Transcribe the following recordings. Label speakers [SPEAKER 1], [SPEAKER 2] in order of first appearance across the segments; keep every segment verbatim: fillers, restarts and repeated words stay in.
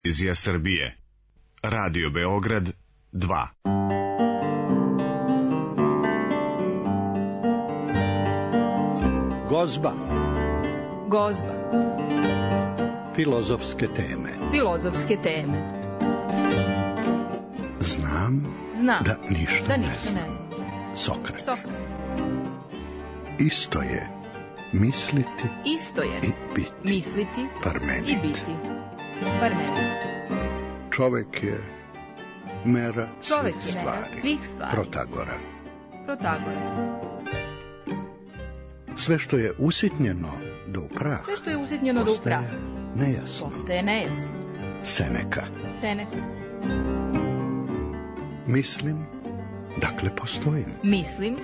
[SPEAKER 1] Televizija Srbije, Radio Beograd dva.
[SPEAKER 2] Gozba.
[SPEAKER 3] Gozba.
[SPEAKER 2] Filozofske teme.
[SPEAKER 3] Filozofske teme.
[SPEAKER 2] Znam,
[SPEAKER 3] Znam
[SPEAKER 2] da ništa,
[SPEAKER 3] da
[SPEAKER 2] ne,
[SPEAKER 3] ništa
[SPEAKER 2] znam.
[SPEAKER 3] ne znam.
[SPEAKER 2] Sokrat.
[SPEAKER 3] Sokrat.
[SPEAKER 2] Isto je misliti
[SPEAKER 3] Isto je
[SPEAKER 2] i biti.
[SPEAKER 3] misliti
[SPEAKER 2] Parmenid.
[SPEAKER 3] i biti. Parmenid.
[SPEAKER 2] Čovek je mera
[SPEAKER 3] Čovek
[SPEAKER 2] svih
[SPEAKER 3] je
[SPEAKER 2] stvari.
[SPEAKER 3] mera svih stvari.
[SPEAKER 2] Protagora.
[SPEAKER 3] Protagora.
[SPEAKER 2] Sve što je usitnjeno do u prah,
[SPEAKER 3] Sve što je usitnjeno do u prah
[SPEAKER 2] postaje nejasno.
[SPEAKER 3] postaje nejasno.
[SPEAKER 2] Seneka.
[SPEAKER 3] Seneka.
[SPEAKER 2] Mislim, dakle postojim.
[SPEAKER 3] Mislim,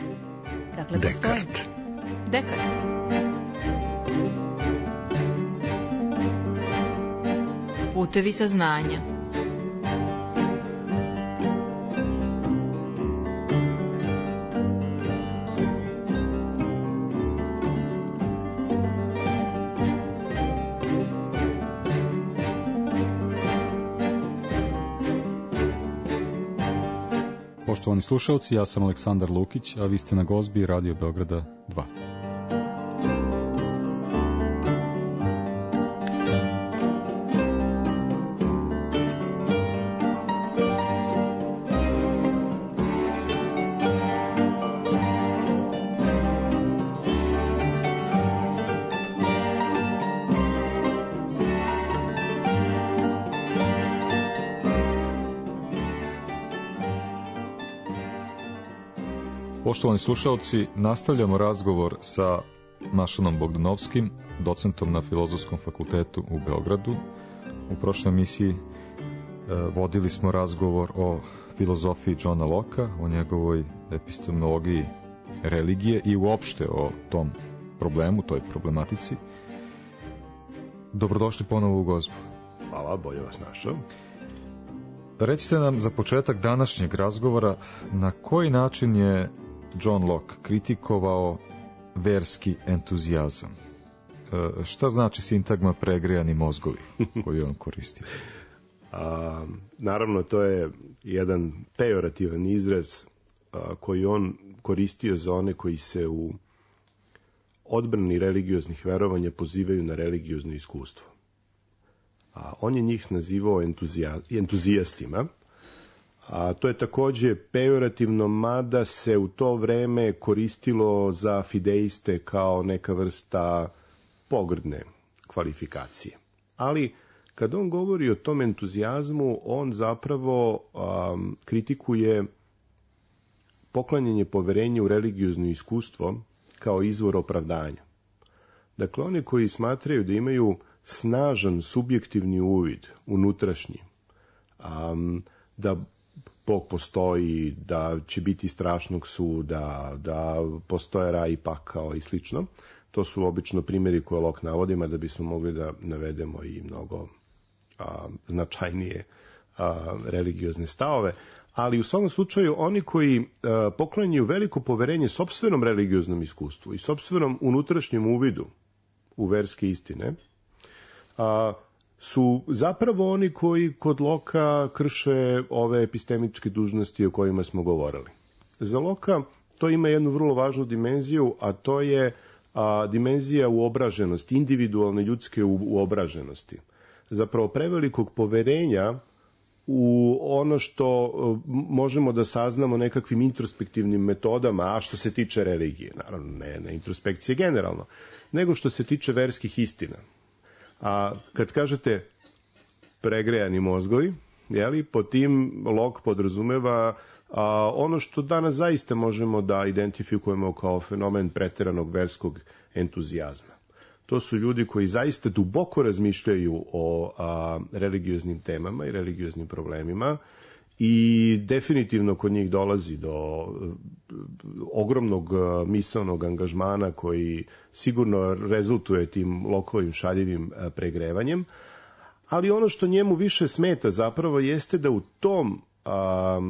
[SPEAKER 3] dakle postojim.
[SPEAKER 2] Dekart.
[SPEAKER 3] Dekart. Putevi saznanja.
[SPEAKER 4] Poštovani slušalci, ja sam Aleksandar Lukić, a vi ste na Gozbi Radio Beograda dva. Poštovani slušalci, nastavljamo razgovor sa Mašanom Bogdanovskim, docentom na Filozofskom fakultetu u Beogradu. U prošloj emisiji e, vodili smo razgovor o filozofiji Johna Locke, o njegovoj epistemologiji religije i uopšte o tom problemu, toj problematici. Dobrodošli ponovo u Gozbu.
[SPEAKER 5] Hvala, bolje vas našao.
[SPEAKER 4] Recite nam za početak današnjeg razgovora na koji način je John Locke kritikovao verski entuzijazam. E, šta znači sintagma pregrejani mozgovi koju on koristio?
[SPEAKER 5] A, naravno, to je jedan pejorativan izraz a, koji on koristio za one koji se u odbrani religioznih verovanja pozivaju na religiozno iskustvo. A, on je njih nazivao entuzija, entuzijastima, a to je takođe pejorativno, mada se u to vreme koristilo za fideiste kao neka vrsta pogrdne kvalifikacije. Ali kad on govori o tom entuzijazmu, on zapravo um, kritikuje poklanjanje poverenja u religiozno iskustvo kao izvor opravdanja. Dakle, oni koji smatraju da imaju snažan subjektivni uvid, unutrašnji, um, da Bog postoji, da će biti strašnog suda, da postoje raj i pakao i slično. To su obično primjeri koje Locke navodima, da bismo mogli da navedemo i mnogo a, značajnije a, religiozne stavove. Ali u svakom slučaju oni koji a, poklanjaju veliko poverenje sopstvenom religioznom iskustvu i sopstvenom unutrašnjem uvidu u verske istine, a, su zapravo oni koji kod Locke krše ove epistemičke dužnosti o kojima smo govorili. Za Locke to ima jednu vrlo važnu dimenziju, a to je a, dimenzija uobraženosti, individualne ljudske u, uobraženosti. Zapravo prevelikog poverenja u ono što možemo da saznamo nekakvim introspektivnim metodama, a što se tiče religije, naravno ne, ne introspekcije generalno, nego što se tiče verskih istina. A kad kažete pregrejani mozgovi, jeli, po tim Locke podrazumeva a, ono što danas zaista možemo da identifikujemo kao fenomen preteranog verskog entuzijazma. To su ljudi koji zaista duboko razmišljaju o a, religioznim temama i religioznim problemima i definitivno kod njih dolazi do ogromnog misaonog angažmana koji sigurno rezultuje tim Lockeovim šaljivim pregrevanjem, ali ono što njemu više smeta zapravo jeste da u tom a,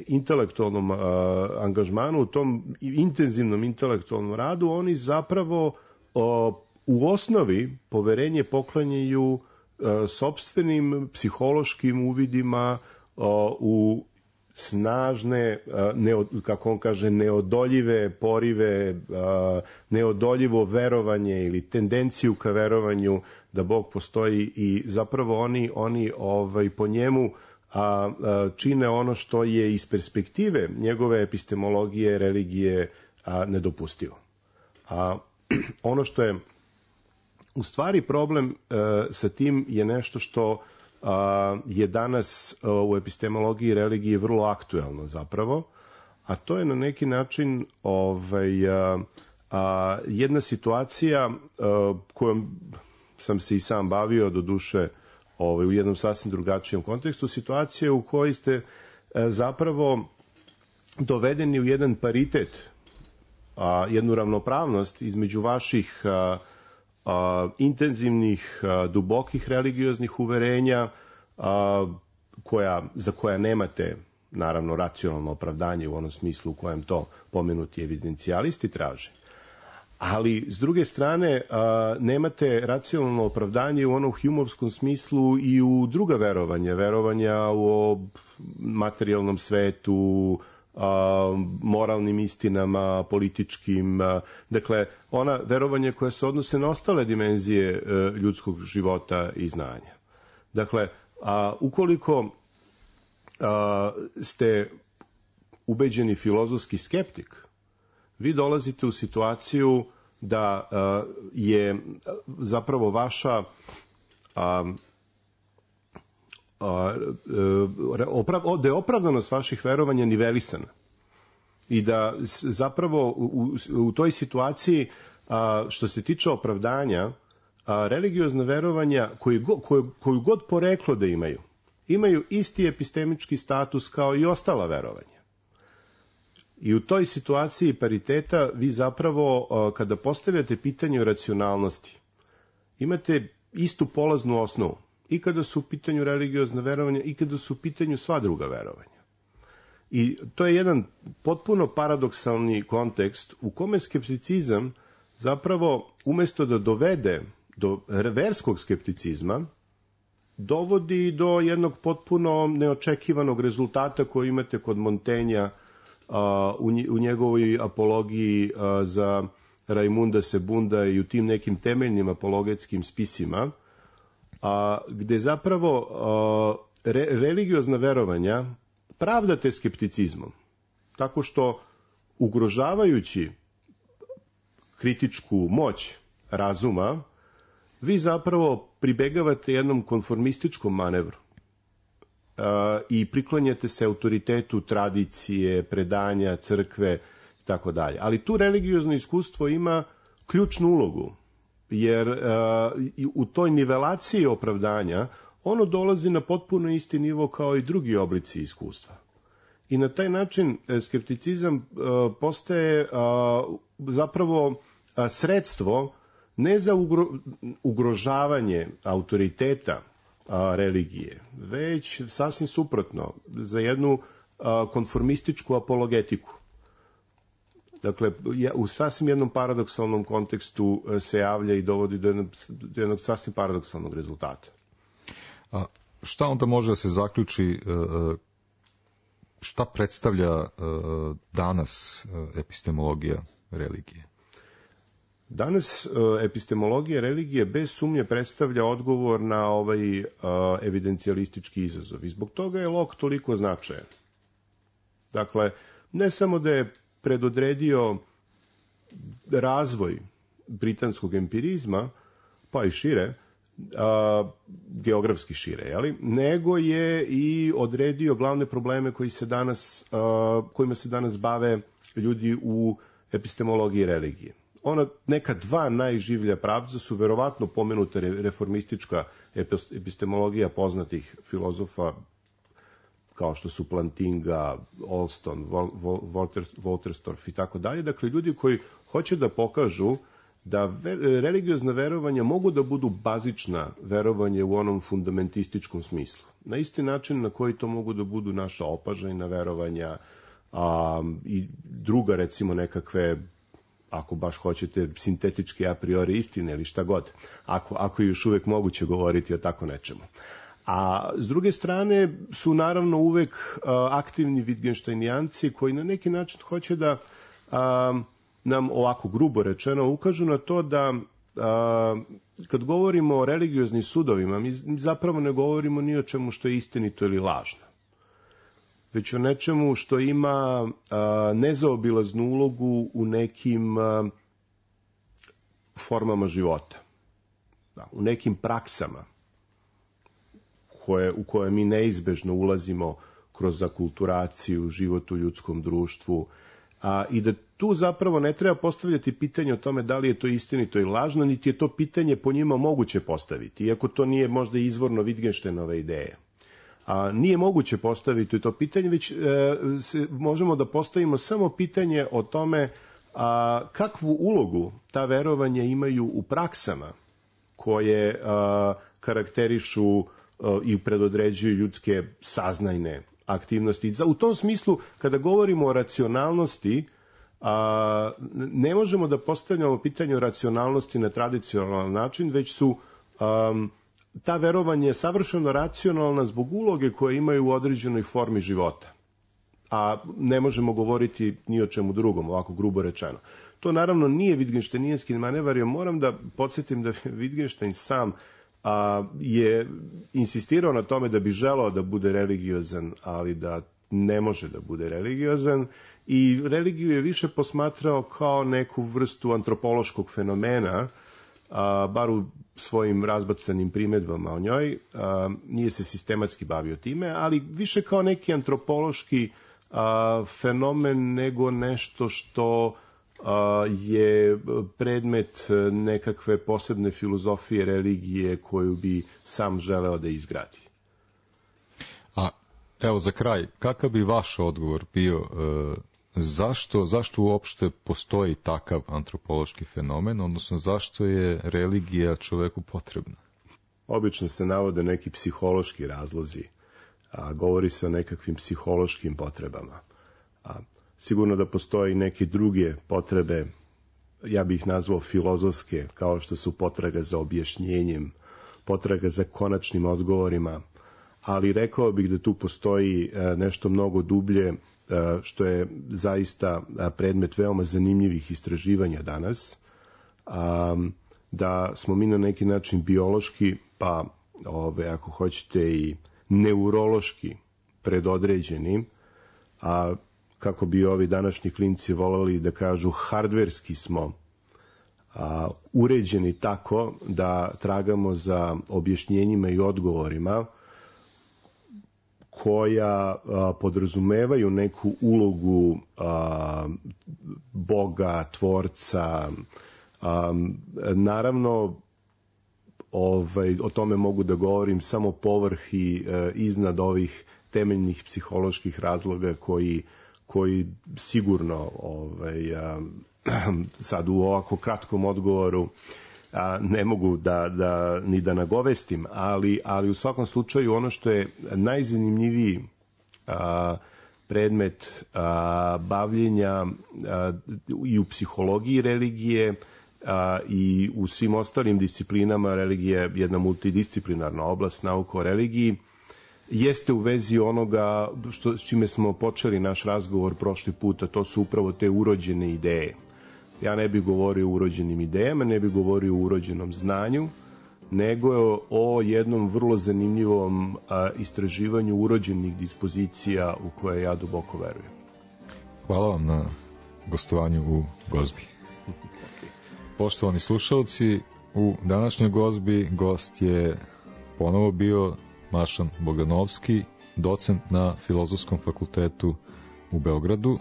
[SPEAKER 5] intelektualnom a, angažmanu, u tom intenzivnom intelektualnom radu oni zapravo a, u osnovi poverenje poklanjaju sopstvenim psihološkim uvidima u snažne, kako on kaže, neodoljive porive, neodoljivo verovanje ili tendenciju ka verovanju da Bog postoji i zapravo oni, oni ovaj, po njemu a, a, čine ono što je iz perspektive njegove epistemologije, religije a, nedopustivo. A ono što je u stvari problem a, sa tim je nešto što a, je danas a, u epistemologiji religije vrlo aktuelno zapravo, a to je na neki način ovaj, a, a, jedna situacija a, kojom sam se i sam bavio, do duše ovaj, u jednom sasvim drugačijem kontekstu, situacije u kojoj ste e, zapravo dovedeni u jedan paritet, a, jednu ravnopravnost između vaših a, a, intenzivnih, a, dubokih religioznih uverenja, a, koja, za koja nemate naravno racionalno opravdanje u onom smislu u kojem to pomenuti evidencijalisti traže. Ali, s druge strane, a, nemate racionalno opravdanje u onom humovskom smislu i u druga verovanja, verovanja o materijalnom svetu, a, moralnim istinama, političkim, a, dakle, ona verovanja koja se odnose na ostale dimenzije a, ljudskog života i znanja. Dakle, a, ukoliko a, ste ubeđeni filozofski skeptik, vi dolazite u situaciju da uh, je zapravo vaša uh, uh, oprav, da je opravdanost vaših verovanja nivelisana i da zapravo u, u toj situaciji uh, što se tiče opravdanja, uh, religiozna verovanja koju, koju, koju god poreklo da imaju, imaju isti epistemički status kao i ostala verovanja. I u toj situaciji pariteta vi zapravo, kada postavljate pitanje o racionalnosti, imate istu polaznu osnovu. I kada su u pitanju religiozna verovanja, i kada su u pitanju sva druga verovanja. I to je jedan potpuno paradoksalni kontekst u kome skepticizam zapravo, umesto da dovede do verskog skepticizma, dovodi do jednog potpuno neočekivanog rezultata koji imate kod Montenja u njegovoj apologiji za Raimunda Sebunda i u tim nekim temeljnim apologetskim spisima, gde zapravo re, religiozna verovanja pravdate skepticizmom, tako što ugrožavajući kritičku moć razuma, vi zapravo pribegavate jednom konformističkom manevru i priklanjate se autoritetu tradicije, predanja, crkve i tako dalje. Ali tu religiozno iskustvo ima ključnu ulogu, jer uh, u toj nivelaciji opravdanja ono dolazi na potpuno isti nivo kao i drugi oblici iskustva. I na taj način skepticizam uh, postaje uh, zapravo uh, sredstvo ne za ugro, ugrožavanje autoriteta a, religije, već sasvim suprotno, za jednu a, konformističku apologetiku. Dakle, u sasvim jednom paradoksalnom kontekstu se javlja i dovodi do jednog, do jednog sasvim paradoksalnog rezultata.
[SPEAKER 4] A šta onda može da se zaključi, šta predstavlja danas epistemologija religije?
[SPEAKER 5] Danas epistemologija religije bez sumnje predstavlja odgovor na ovaj evidencijalistički izazov i zbog toga je Locke toliko značajan. Dakle, ne samo da je predodredio razvoj britanskog empirizma, pa i šire, a, geografski šire, jeli? Nego je i odredio glavne probleme koji se danas, a, kojima se danas bave ljudi u epistemologiji religije. Ona neka dva najživlja pravca su verovatno pomenuta reformistička epistemologija poznatih filozofa kao što su Plantinga, Allston, Wolterstorff i tako dalje. Dakle, ljudi koji hoće da pokažu da religiozna verovanja mogu da budu bazična verovanje u onom fundamentističkom smislu. Na isti način na koji to mogu da budu naša opažajna verovanja a, i druga, recimo, nekakve ako baš hoćete, sintetičke a priori istine ili šta god, ako, ako je još uvek moguće govoriti o tako nečemu. A s druge strane su naravno uvek uh, aktivni Wittgensteinijanci koji na neki način hoće da uh, nam ovako grubo rečeno ukažu na to da uh, kad govorimo o religioznim sudovima, mi zapravo ne govorimo ni o čemu što je istinito ili lažno, već o nečemu što ima uh, nezaobilaznu ulogu u nekim uh, formama života, da, u nekim praksama koje, u koje mi neizbežno ulazimo kroz akulturaciju, život u ljudskom društvu, a, i da tu zapravo ne treba postavljati pitanje o tome da li je to istinito ili lažno, niti je to pitanje po njima moguće postaviti, iako to nije možda izvorno Wittgensteinove ideje. A, nije moguće postaviti to pitanje, već e, se, možemo da postavimo samo pitanje o tome a, kakvu ulogu ta verovanja imaju u praksama koje a, karakterišu a, i predodređuju ljudske saznajne aktivnosti. U tom smislu, kada govorimo o racionalnosti, a, ne možemo da postavljamo pitanje o racionalnosti na tradicionalan način, već su a, ta verovanja je savršeno racionalna zbog uloge koje imaju u određenoj formi života. A ne možemo govoriti ni o čemu drugom, ovako grubo rečeno. To naravno nije Wittgensteinijanski manevar, jer moram da podsjetim da Wittgenstein sam a, je insistirao na tome da bi želao da bude religiozan, ali da ne može da bude religiozan, i religiju je više posmatrao kao neku vrstu antropološkog fenomena, a, bar u svojim razbacanim primedbama o njoj, a, nije se sistematski bavio time, ali više kao neki antropološki a, fenomen nego nešto što a, je predmet nekakve posebne filozofije religije koju bi sam želeo da izgradi.
[SPEAKER 4] A evo za kraj, kakav bi vaš odgovor bio, e, zašto, zašto uopšte postoji takav antropološki fenomen, odnosno zašto je religija čoveku potrebna?
[SPEAKER 5] Obično se navode neki psihološki razlozi, a govori se o nekakvim psihološkim potrebama. A sigurno da postoji neke druge potrebe, ja bih ih nazvao filozofske, kao što su potraga za objašnjenjem, potraga za konačnim odgovorima, ali rekao bih da tu postoji nešto mnogo dublje, što je zaista predmet veoma zanimljivih istraživanja danas, da smo mi na neki način biološki, pa ove, ako hoćete i neurološki predodređeni, a kako bi ovi današnji klinci voleli da kažu, hardverski smo a, uređeni tako da tragamo za objašnjenjima i odgovorima koja a, podrazumevaju neku ulogu a, Boga, tvorca. A, naravno, ovaj, o tome mogu da govorim samo povrh i e, iznad ovih temeljnih psiholoških razloga koji, koji sigurno ovaj, a, sad u ovako kratkom odgovoru a, ne mogu da, da, ni da nagovestim, ali, ali u svakom slučaju ono što je najzanimljiviji a, predmet a, bavljenja a, i u psihologiji religije a, i u svim ostalim disciplinama, religija je jedna multidisciplinarna oblast, nauka o religiji, jeste u vezi onoga što, s čime smo počeli naš razgovor prošli puta, to su upravo te urođene ideje. Ja ne bih govorio o urođenim idejama, ne bih govorio o urođenom znanju, nego o jednom vrlo zanimljivom a, istraživanju urođenih dispozicija u koje ja duboko verujem.
[SPEAKER 4] Hvala vam na gostovanju u Gozbi. Poštovani slušalci, u današnjoj Gozbi gost je ponovo bio Mašan Bogdanovski, docent na Filozofskom fakultetu u Beogradu,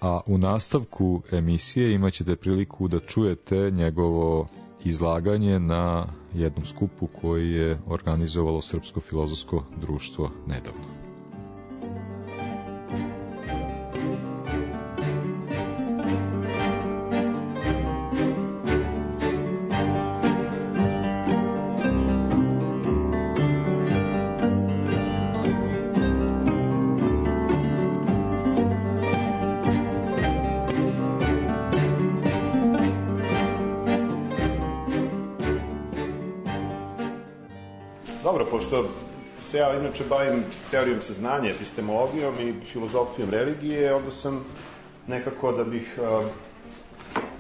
[SPEAKER 4] a u nastavku emisije imat ćete priliku da čujete njegovo izlaganje na jednom skupu koji je organizovalo Srpsko filozofsko društvo nedavno.
[SPEAKER 5] pošto se ja inače bavim teorijom saznanja, epistemologijom i filozofijom religije, onda sam nekako da bih a,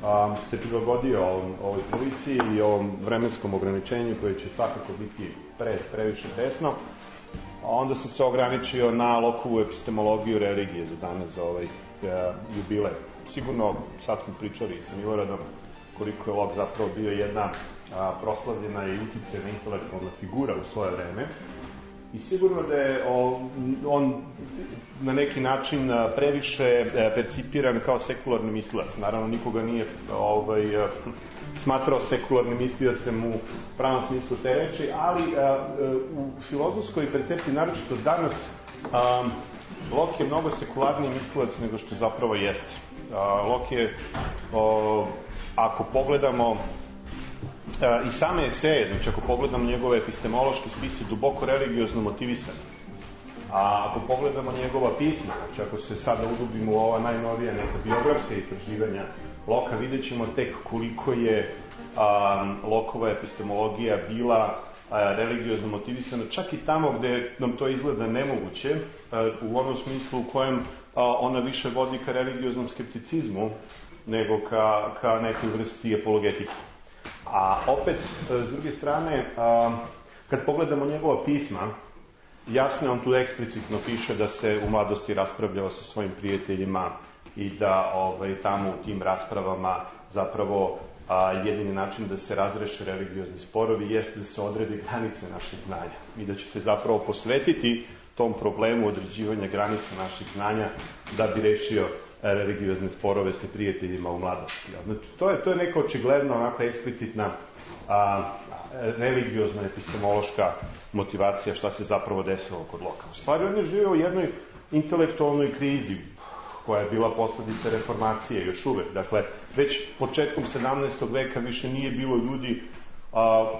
[SPEAKER 5] a, se prilagodio ovom, ovoj policiji i ovom vremenskom ograničenju koje će svakako biti pre, previše tesno, a onda sam se ograničio na lokovu epistemologiju religije za danas, za ovaj a, jubilej. Sigurno, sad smo pričali i sa Miloradom koliko je Locke zapravo bio jedna a, proslavljena i uticajna intelektualna figura u svoje vreme. I sigurno da je on, on na neki način previše percipiran kao sekularni mislilac. Naravno, nikoga nije ovaj, smatrao sekularnim misliocem u pravom smislu te reči, ali a, u filozofskoj percepciji, naročito danas, a, Locke je mnogo sekularniji mislilac nego što zapravo jeste. A, Locke je, o, ako pogledamo Uh, i same eseje, znači ako pogledamo njegove epistemološke spise, duboko religiozno motivisane. A ako pogledamo njegova pisma, znači ako se sada udubimo u ova najnovija neka biografska istraživanja Locke, vidjet ćemo tek koliko je um, Lockova epistemologija bila uh, religiozno motivisana, čak i tamo gde nam to izgleda nemoguće, uh, u onom smislu u kojem uh, ona više vodi ka religioznom skepticizmu nego ka, ka nekoj vrsti apologetike. A opet, s druge strane, kad pogledamo njegova pisma, jasno on tu eksplicitno piše da se u mladosti raspravljao sa svojim prijateljima i da ovaj, tamo u tim raspravama zapravo a, jedini način da se razreše religiozni sporovi jeste da se odredi granice naših znanja i da će se zapravo posvetiti tom problemu određivanja granica naših znanja da bi rešio religiozne sporove sa prijateljima u mladosti. Znači, to je, to je neka očigledno onaka eksplicitna a, religiozna epistemološka motivacija šta se zapravo desilo kod Locke. U stvari, on je živio u jednoj intelektualnoj krizi koja je bila posledica reformacije još uvek. Dakle, već početkom sedamnaestog veka više nije bilo ljudi a,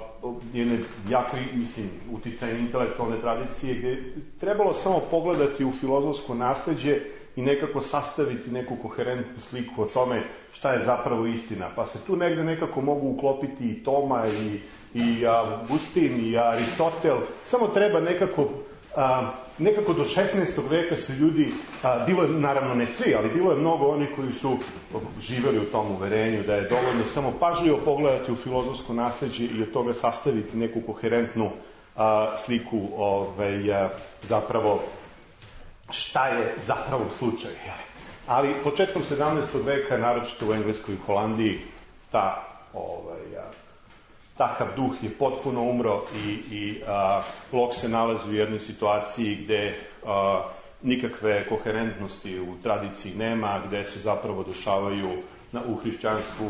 [SPEAKER 5] jedne jako, mislim, uticajne intelektualne tradicije gde je trebalo samo pogledati u filozofsko nasleđe i nekako sastaviti neku koherentnu sliku o tome šta je zapravo istina. Pa se tu negde nekako mogu uklopiti i Toma i, i Augustin i Aristotel. Samo treba nekako, a, nekako do šesnaestog veka su ljudi, a, bilo je naravno ne svi, ali bilo je mnogo onih koji su živeli u tom uverenju da je dovoljno samo pažljivo pogledati u filozofsko nasleđe i od toga sastaviti neku koherentnu a, sliku ovaj, a, zapravo šta je zapravo slučaj. Ali početkom sedamnaestog veka, naročito u Engleskoj i Holandiji, ta, ovaj, a, takav duh je potpuno umro i, i a, Locke se nalazi u jednoj situaciji gde a, nikakve koherentnosti u tradiciji nema, gde se zapravo dešavaju na, u hrišćanstvu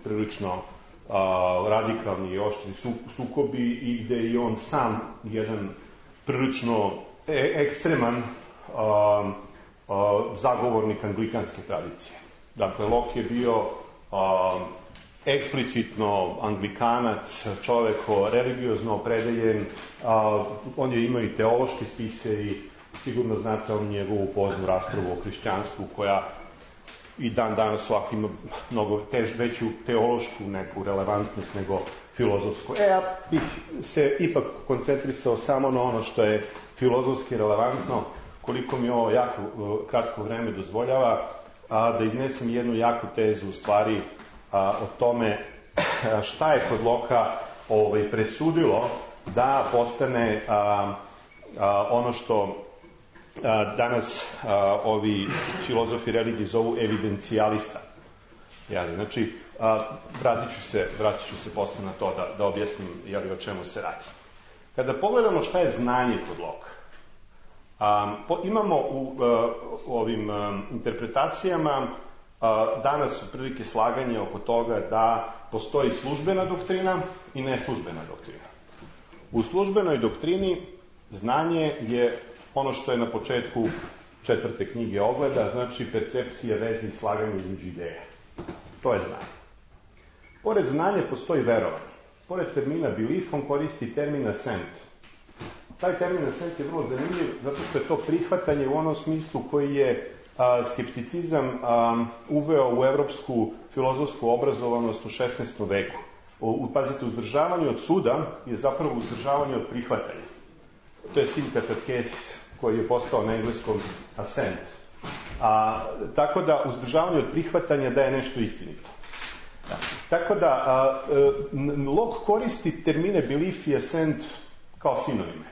[SPEAKER 5] prilično a, radikalni i oštri su, sukobi i gde je on sam jedan prilično e, ekstreman Uh, uh, zagovornik anglikanske tradicije. Dakle, Locke je bio uh, eksplicitno anglikanac, čovek religiozno opredeljen, uh, on je imao i teološke spise i sigurno znate on njegovu poznu raspravu o hrišćanstvu koja i dan danas ovako ima mnogo tež, veću teološku neku relevantnost nego filozofsku. E, ja bih se ipak koncentrisao samo na ono što je filozofski relevantno, koliko mi ovo jako kratko vreme dozvoljava, a, da iznesem jednu jaku tezu u stvari a, o tome a, šta je kod Locke ovaj, presudilo da postane a, a, ono što a, danas a, ovi filozofi religije zovu evidencijalista. Jeli, znači, a, vratit ću se, vratit ću se posle na to da, da objasnim jeli, o čemu se radi. Kada pogledamo šta je znanje kod Locke, Um, po, imamo u, uh, u ovim um, interpretacijama uh, danas otprilike slaganje oko toga da postoji službena doktrina i neslužbena doktrina. U službenoj doktrini znanje je ono što je na početku četvrte knjige Ogleda, znači percepcija, veze i slaganje između ideja. To je znanje. Pored znanja postoji verovanje. Pored termina belief on koristi termin assent. Taj termin assent je vrlo zanimljiv zato što je to prihvatanje u onom smislu koji je a, skepticizam a, uveo u evropsku filozofsku obrazovanost u šesnaestom veku. U, pazite, uzdržavanje od suda je zapravo uzdržavanje od prihvatanja. to je sympathesis koji je postao na engleskom assent. A, tako da uzdržavanje od prihvatanja da je nešto istinito. Da. Tako da a, Locke koristi termine belief i assent kao sinonime.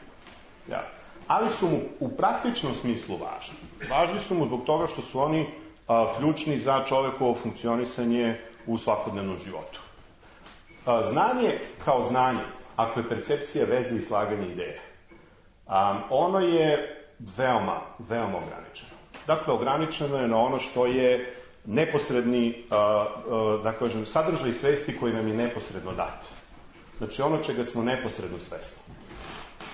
[SPEAKER 5] Ja. Ali su mu u praktičnom smislu važni. Važni su mu zbog toga što su oni a, ključni za čovekovo funkcionisanje u svakodnevnom životu. A, znanje kao znanje, ako je percepcija veze i slaganje ideje, a, ono je veoma, veoma ograničeno. Dakle, ograničeno je na ono što je neposredni, a, a, da kažem, sadržaj svesti koji nam je neposredno dat. Znači, ono čega smo neposredno svesni.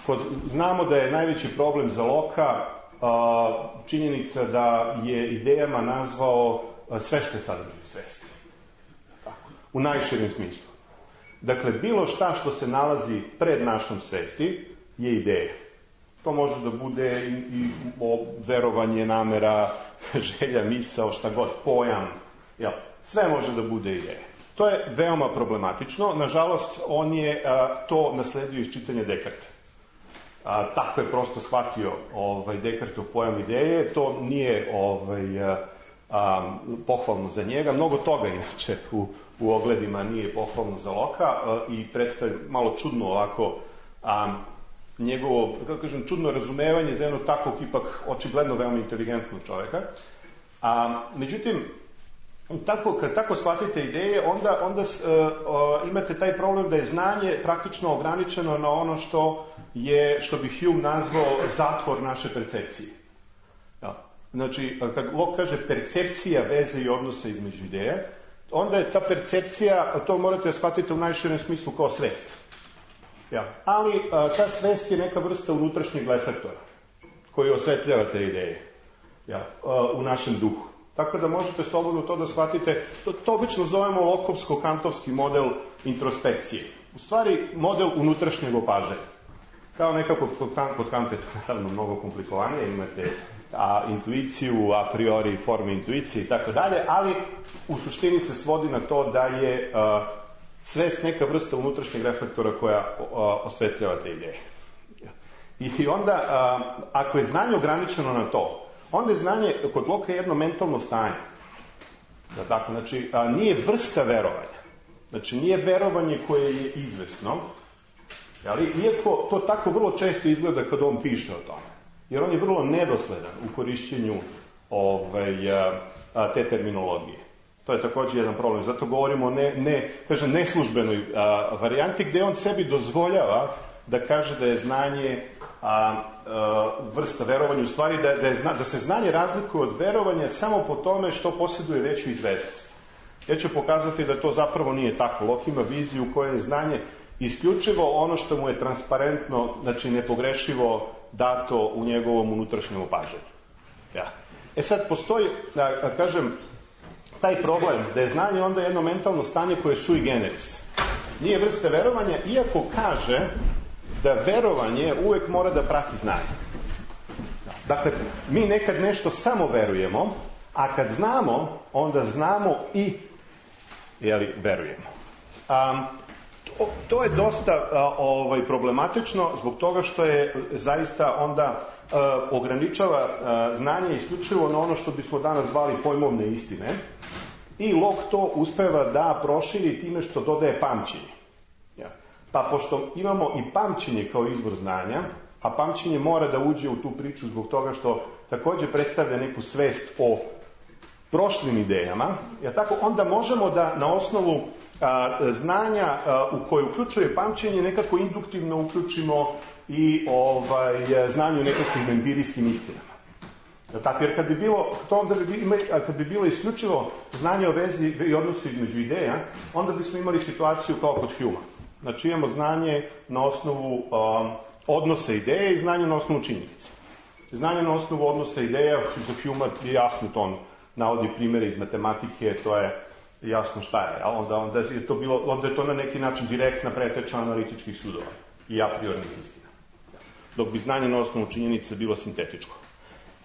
[SPEAKER 5] Kod, znamo da je najveći problem za Locke činjenica da je idejama nazvao sve što je sadržaj svesti. U najširem smislu. Dakle, bilo šta što se nalazi pred našom svesti je ideja. To može da bude i, i verovanje, namera, želja, misao, šta god, pojam. Jel? Sve može da bude ideja. To je veoma problematično. Nažalost, on je a, to nasledio iz čitanja Descartesa. A, tako je prosto shvatio ovaj, Descartesov pojam ideje. To nije ovaj, a, a, pohvalno za njega. Mnogo toga, inače, u, u ogledima nije pohvalno za Locke i predstavlja malo čudno ovako a, njegovo, kako kažem, čudno razumevanje za jednog takvog ipak očigledno veoma inteligentnog čoveka. A, međutim, tako, kad tako shvatite ideje, onda, onda uh, uh, imate taj problem da je znanje praktično ograničeno na ono što je, što bi Hume nazvao zatvor naše percepcije. Ja. Znači, kad Locke kaže percepcija veze i odnosa između ideje, onda je ta percepcija, to morate shvatiti u najširem smislu kao svest. Ja. Ali uh, ta svest je neka vrsta unutrašnjeg reflektora koji osvetljava te ideje, ja, uh, u našem duhu. Tako da možete slobodno to da shvatite. To, to obično zovemo Lockeovsko-kantovski model introspekcije. U stvari, model unutrašnjeg opažanja. Kao nekako kod, kod Kanta je to naravno mnogo komplikovanije. Imate a, intuiciju, a priori forme intuicije i tako dalje, ali u suštini se svodi na to da je a, svest neka vrsta unutrašnjeg reflektora koja a, osvetljava te ideje. I, i onda, a, ako je znanje ograničeno na to, onda je znanje kod Locke jedno mentalno stanje. Da, tako, znači, a, nije vrsta verovanja. Znači, nije verovanje koje je izvesno, ali, iako to tako vrlo često izgleda kad on piše o tome. Jer on je vrlo nedosledan u korišćenju ovaj, a, a, te terminologije. To je također jedan problem. Zato govorimo o ne, ne, kažem, neslužbenoj a, varijanti gde on sebi dozvoljava da kaže da je znanje a, a, vrsta verovanja, u stvari da, da, je, da se znanje razlikuje od verovanja samo po tome što posjeduje veću izvesnost. Ja ću pokazati da to zapravo nije tako. Locke ima viziju u kojoj je znanje isključivo ono što mu je transparentno, znači nepogrešivo dato u njegovom unutrašnjem opažanju. Ja. E sad, postoji, da, da kažem, taj problem da je znanje onda jedno mentalno stanje koje je sui generis. Nije vrste verovanja, iako kaže da verovanje uvek mora da prati znanje. Dakle, mi nekad nešto samo verujemo, a kad znamo, onda znamo i, jeli, verujemo. Um, to, to je dosta uh, ovaj, problematično zbog toga što je zaista onda uh, ograničava uh, znanje isključivo na ono što bismo danas zvali pojmovne istine i Locke to uspeva da proširi time što dodaje pamćenje. Ja. Pa pošto imamo i pamćenje kao izvor znanja, a pamćenje mora da uđe u tu priču zbog toga što također predstavlja neku svest o prošlim idejama, ja tako, onda možemo da na osnovu a, znanja a, u koje uključuje pamćenje nekako induktivno uključimo i ovaj, znanju nekakvim empirijskim istinama. Ja tako, jer kad bi bilo, to onda bi, kad bi bilo isključivo znanje o vezi i odnosu između ideja, onda bismo imali situaciju kao kod Humea. Znači imamo znanje na osnovu um, odnosa ideje i znanje na osnovu činjenica. Znanje na osnovu odnosa ideja, za Humea je jasno, to on navodi primjere iz matematike, to je jasno šta je. Onda, onda, je to bilo, onda je to na neki način direktna preteča analitičkih sudova i a priornih istina. Dok bi znanje na osnovu činjenica bilo sintetičko.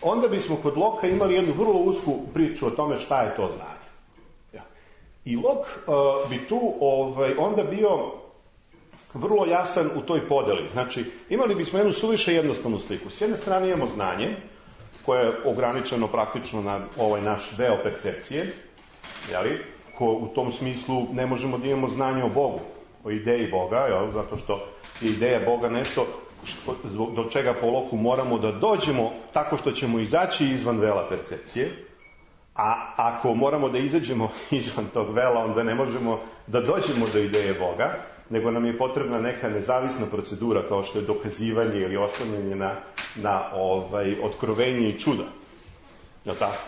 [SPEAKER 5] Onda bismo kod Locke imali jednu vrlo usku priču o tome šta je to znanje. Ja. I Locke uh, bi tu ovaj, onda bio
[SPEAKER 6] vrlo jasan u toj podeli. Znači, imali bismo jednu suviše jednostavnu sliku. S jedne strane imamo znanje, koje je ograničeno praktično na ovaj naš deo percepcije, jeli? Ko u tom smislu ne možemo da imamo znanje o Bogu, o ideji Boga, jel? Zato što je ideja Boga nešto što, do čega po Loku moramo da dođemo tako što ćemo izaći izvan vela percepcije, a ako moramo da izađemo izvan tog vela, onda ne možemo da dođemo do ideje Boga, nego nam je potrebna neka nezavisna procedura kao što je dokazivanje ili oslanjanje na, na ovaj, otkrovenje i čuda. Jel tako?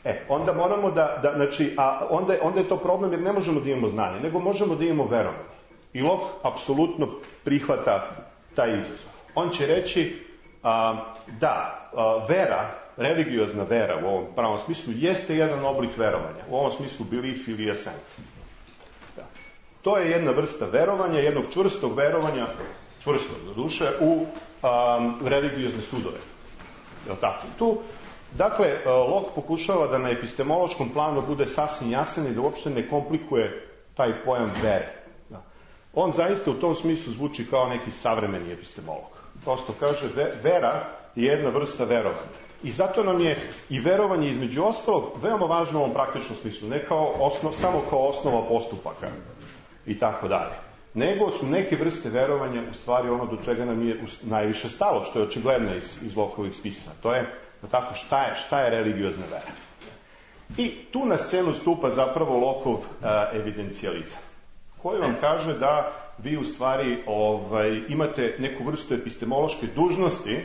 [SPEAKER 6] E, onda moramo da, da znači, a onda, onda je to problem jer ne možemo da imamo znanje, nego možemo da imamo verovanje. I Lok apsolutno prihvata taj izazov. On će reći a, da, a, vera, religiozna vera u ovom pravom smislu jeste jedan oblik verovanja. U ovom smislu belief ili assent. Da. To je jedna vrsta verovanja, jednog čvrstog verovanja, čvrstog do duše, u a, religiozne sudove. Je li tako? Tu, dakle, Lok pokušava da na epistemološkom planu bude sasvim jasan i da uopšte ne komplikuje taj pojam vere. Da. On zaista u tom smislu zvuči kao neki savremeni epistemolog. Prosto kaže, vera je jedna vrsta verovanja. I zato nam je i verovanje između ostalog veoma važno u ovom praktičnom smislu, ne kao osnov, samo kao osnova postupaka i tako dalje. Nego su neke vrste verovanja u stvari ono do čega nam je najviše stalo, što je očigledno iz, iz Lokovih spisa. To je, tako, šta je, šta je religiozna vera. I tu na scenu stupa zapravo Lokov a, evidencijalizam, koji vam kaže da vi u stvari ovaj, imate neku vrstu epistemološke dužnosti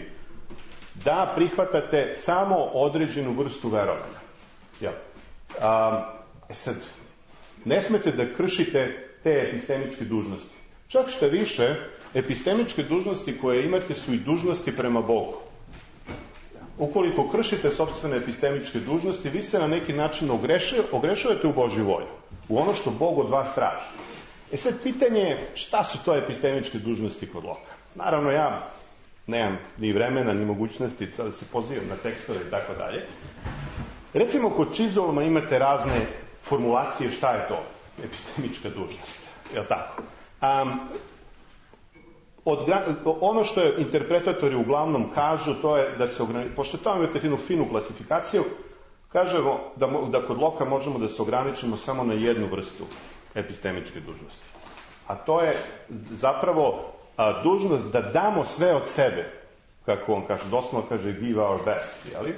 [SPEAKER 6] da prihvatate samo određenu vrstu verovanja. Ja. A, sad, ne smete da kršite te epistemičke dužnosti. Čak što više, epistemičke dužnosti koje imate su i dužnosti prema Bogu. Ukoliko kršite sopstvene epistemičke dužnosti, vi se na neki način ogrešujete u Božju volju, u ono što Bog od vas traži. E sad, pitanje je šta su to epistemičke dužnosti kod Loka. Naravno, ja nemam ni vremena, ni mogućnosti da se pozivam na tekstove i tako dalje. Recimo, kod Chisholma imate razne formulacije šta je to epistemička dužnost. Je li tako? Um, od, ono što je interpretatori uglavnom kažu, to je da se ograničimo, pošto tamo imate finu, finu klasifikaciju, kažemo da, da kod Loka možemo da se ograničimo samo na jednu vrstu epistemičke dužnosti. A to je zapravo a, dužnost da damo sve od sebe, kako on kaže, doslovno kaže give our best, jeli?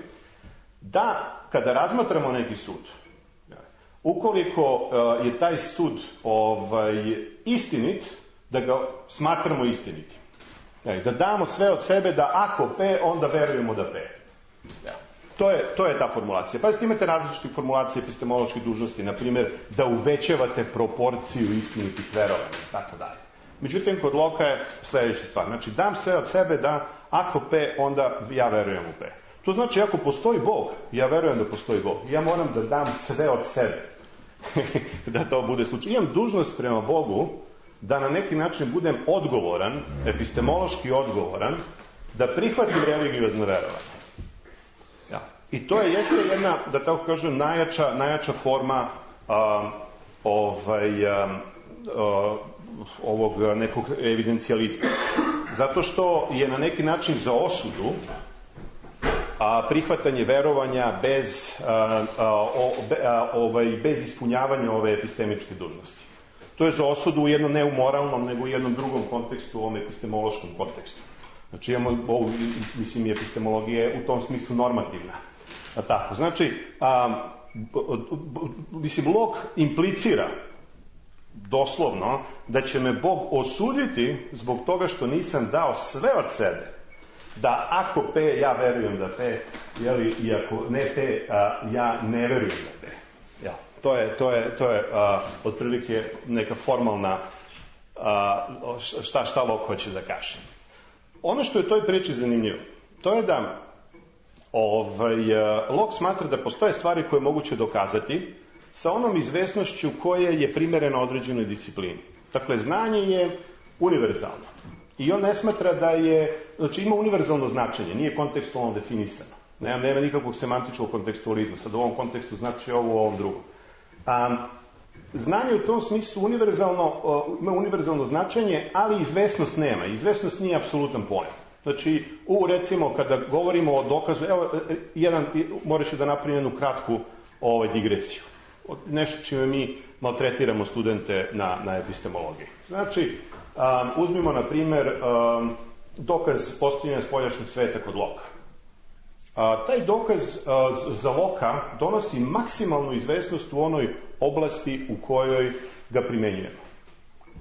[SPEAKER 6] Da, kada razmatramo neki sud, ukoliko a, je taj sud ovaj, istinit, da ga smatramo istinitim. Da damo sve od sebe, da ako P, onda verujemo da P. Ja. To je, to je ta formulacija. Pa imate različite formulacije epistemoloških dužnosti, na primjer, da uvećavate proporciju istinitih verovanja, tako dalje. Međutim, kod Loka je sljedeća stvar. Znači, dam sve od sebe da ako P, onda ja verujem u P. To znači, ako postoji Bog, ja verujem da postoji Bog. Ja moram da dam sve od sebe. Da to bude slučaj. Imam dužnost prema Bogu da na neki način budem odgovoran, epistemološki odgovoran, da prihvatim religiozno verovanje. Ja. I to je jeste jedna, da tako kažem, najjača, najjača forma a, ovaj, a, a, ovog nekog evidencijalizma. Zato što je na neki način za osudu a, prihvatanje verovanja bez, a, a, o, be, a, ovaj, bez ispunjavanja ove epistemičke dužnosti. To je za osudu u jednom ne u moralnom, nego u jednom drugom kontekstu, u ovom epistemološkom kontekstu. Znači, imamo, ovo, mislim, epistemologija je u tom smislu normativna. A tako, znači, a, mislim, Lok implicira doslovno da će me Bog osuditi zbog toga što nisam dao sve od sebe. Da ako P, ja verujem da P, jeli, i ako ne P, a, ja ne verujem da P. Ja. To je, to je, to je a, otprilike neka formalna a, šta, šta Lok hoće da kaže. Ono što je toj priči zanimljivo, to je da ovaj, Lok smatra da postoje stvari koje je moguće dokazati sa onom izvesnošću koje je primerena određenoj disciplini. Dakle, znanje je univerzalno. I on ne smatra da je, znači ima univerzalno značenje, nije kontekstualno definisano. Nema, nema nikakvog semantičkog kontekstualizma. Sad u ovom kontekstu znači ovo, u ovom drugom. Um, znanje u tom smislu univerzalno, ima univerzalno značenje, ali izvesnost nema. Izvesnost nije apsolutan pojam. Znači, u, recimo, kada govorimo o dokazu, evo, jedan, moraš da napravim jednu kratku ovaj, digresiju. Nešto čime mi maltretiramo studente na, na epistemologiji. Znači, um, uzmimo, na primer, um, dokaz postojanja spoljašnjeg sveta kod Loka. Uh, taj dokaz uh, za Loka donosi maksimalnu izvesnost u onoj oblasti u kojoj ga primenjujemo.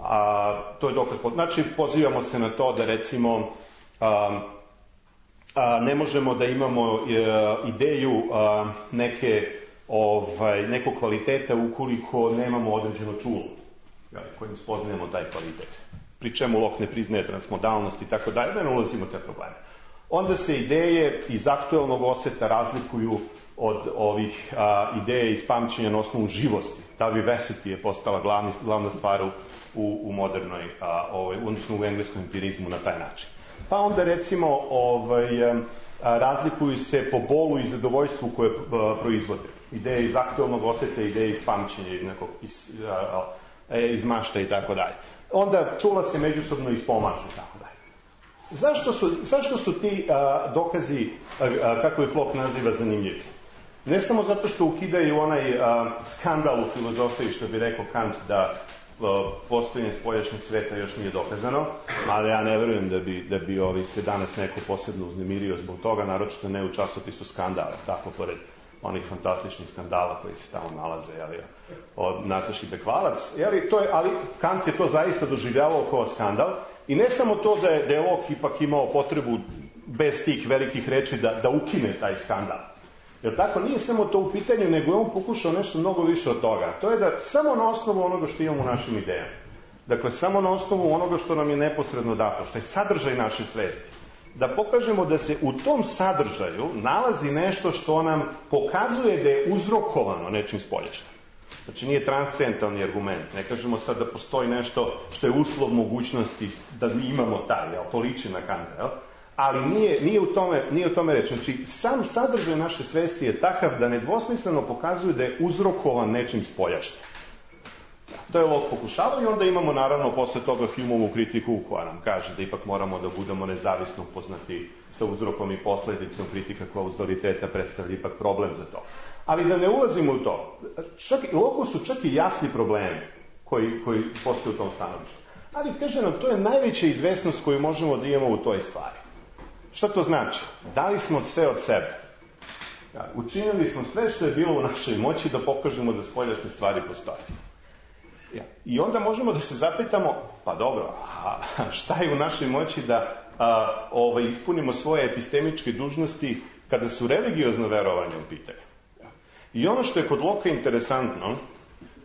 [SPEAKER 6] A, to je dokaz, znači, pozivamo se na to da, recimo, a, a, ne možemo da imamo a, ideju a, neke, ovaj, nekog kvaliteta ukoliko nemamo određeno čulo kojim spoznajemo taj kvalitet. Pri čemu Locke ne priznaje transmodalnost i tako dalje, da ne ulazimo te probleme. Onda se ideje iz aktuelnog oseta razlikuju od ovih a, ideje iz pamćenja na osnovu živosti. Ta vivacity je postala glavni, glavna stvar u, u modernoj, a, ovaj, odnosno u engleskom empirizmu na taj način. Pa onda, recimo, ovaj, a, razlikuju se po bolu i zadovoljstvu koje a, proizvode. Ideje iz aktuelnog oseta, ideje iz pamćenja, iz nekog iz, a, a, iz mašta i tako dalje. Onda čula se međusobno ispomažu i tako dalje. Zašto su, zašto su ti a, dokazi, a, a, kako ih Locke naziva, zanimljivi? Ne samo zato što ukidaju onaj a, skandal u filozofiji, što bi rekao Kant, da a, postojanje spoljašnjeg sveta još nije dokazano, ali ja ne verujem da bi, da bi ovi se danas neko posebno uznemirio zbog toga, naročito ne u časopisu Skandala, tako pored onih fantastičnih skandala koji se tamo nalaze, jeli, od Nataši Bekvalac, jeli, to je, ali Kant je to zaista doživljavao kao skandal, i ne samo to da je, da je Locke ipak imao potrebu bez tih velikih reči da, da ukine taj skandal. Jer tako, nije samo to u pitanju, nego je on pokušao nešto mnogo više od toga. To je da samo na osnovu onoga što imamo u našim idejama, dakle, samo na osnovu onoga što nam je neposredno dato, što je sadržaj naše svesti, da pokažemo da se u tom sadržaju nalazi nešto što nam pokazuje da je uzrokovano nečim spoljašnjim. Znači, nije transcendentalni argument. Ne kažemo sad da postoji nešto što je uslov mogućnosti da mi imamo taj, jel, to liči na Kanta, jel? Ali nije, nije, u tome, nije u tome reći. Znači, sam sadržaj naše svesti je takav da nedvosmisleno pokazuje da je uzrokovan nečim spoljašnjim. To je Locke pokušavao, i onda imamo, naravno, posle toga Humeovu kritiku koja nam kaže da ipak moramo da budemo nezavisno upoznati sa uzrokom i posledicom. Kritika kauzaliteta predstavlja ipak problem za to. Ali da ne ulazimo u to, čak, Locke su čak i jasni problemi koji, koji postoje u tom stanovištu. Ali, kaže nam, to je najveća izvesnost koju možemo da imamo u toj stvari. Šta to znači? Dali smo sve od sebe. Učinili smo sve što je bilo u našoj moći da pokažemo da spoljašnje stvari postoje. Ja. I onda možemo da se zapitamo, pa dobro, a šta je u našoj moći da a, ovaj, ispunimo svoje epistemičke dužnosti kada su religiozno verovanje u pitanju? Ja. I ono što je kod Locke interesantno,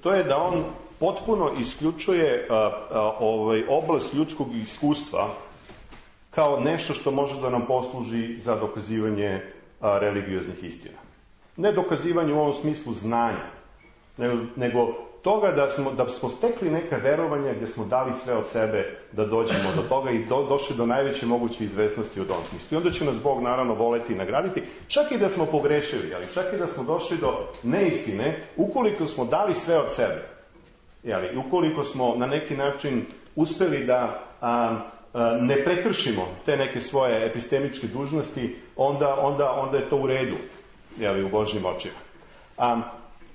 [SPEAKER 6] to je da on potpuno isključuje a, a, ovaj, oblast ljudskog iskustva kao nešto što može da nam posluži za dokazivanje a, religioznih istina. Ne dokazivanje u ovom smislu znanja, nego, nego toga da smo, da smo stekli neka verovanja gdje smo dali sve od sebe da dođemo do toga i do, došli do najveće moguće izvesnosti u tom smislu. I onda će nas Bog, naravno, voleti i nagraditi, čak i da smo pogrešili, ali čak i da smo došli do neistine, ukoliko smo dali sve od sebe. Jeli, ukoliko smo na neki način uspeli da a, a, ne prekršimo te neke svoje epistemičke dužnosti, onda, onda, onda je to u redu, jeli, u Božjim očima. A,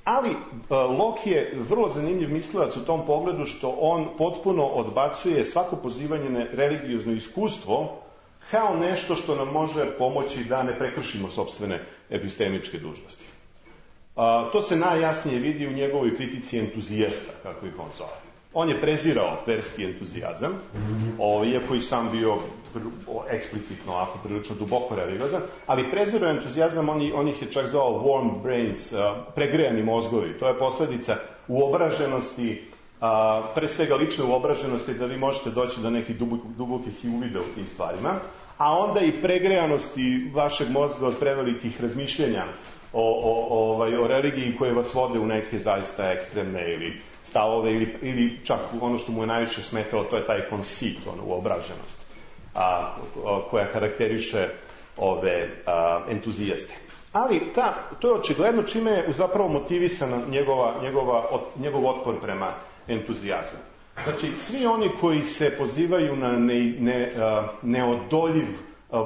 [SPEAKER 6] Ali uh, Locke je vrlo zanimljiv mislilac u tom pogledu što on potpuno odbacuje svako pozivanje na religiozno iskustvo kao nešto što nam može pomoći da ne prekršimo sopstvene epistemičke dužnosti. Uh, to se najjasnije vidi u njegovoj kritici entuzijasta, kako ih on zove. On je prezirao verski entuzijazam, o, iako i sam bio eksplicitno, ako prilično duboko religiozan, ali prezirao entuzijazam, on, on ih je čak zvao warm brains, uh, pregrejani mozgovi. To je posledica uobraženosti, uh, pre svega lične uobraženosti, da vi možete doći do nekih dubokih uvida u tim stvarima, a onda i pregrejanosti vašeg mozga od prevelikih razmišljenja o, o, o, o religiji koje vas vode u neke zaista ekstremne ili stavove, ili, ili čak ono što mu je najviše smetalo, to je taj conceit, ono, uobraženost, a, a, koja karakteriše ove a, entuzijaste. Ali ta, to je očigledno čime je zapravo motivisana njegova, njegova, njegov otpor prema entuzijazmu. Znači, svi oni koji se pozivaju na ne, ne, neodoljiv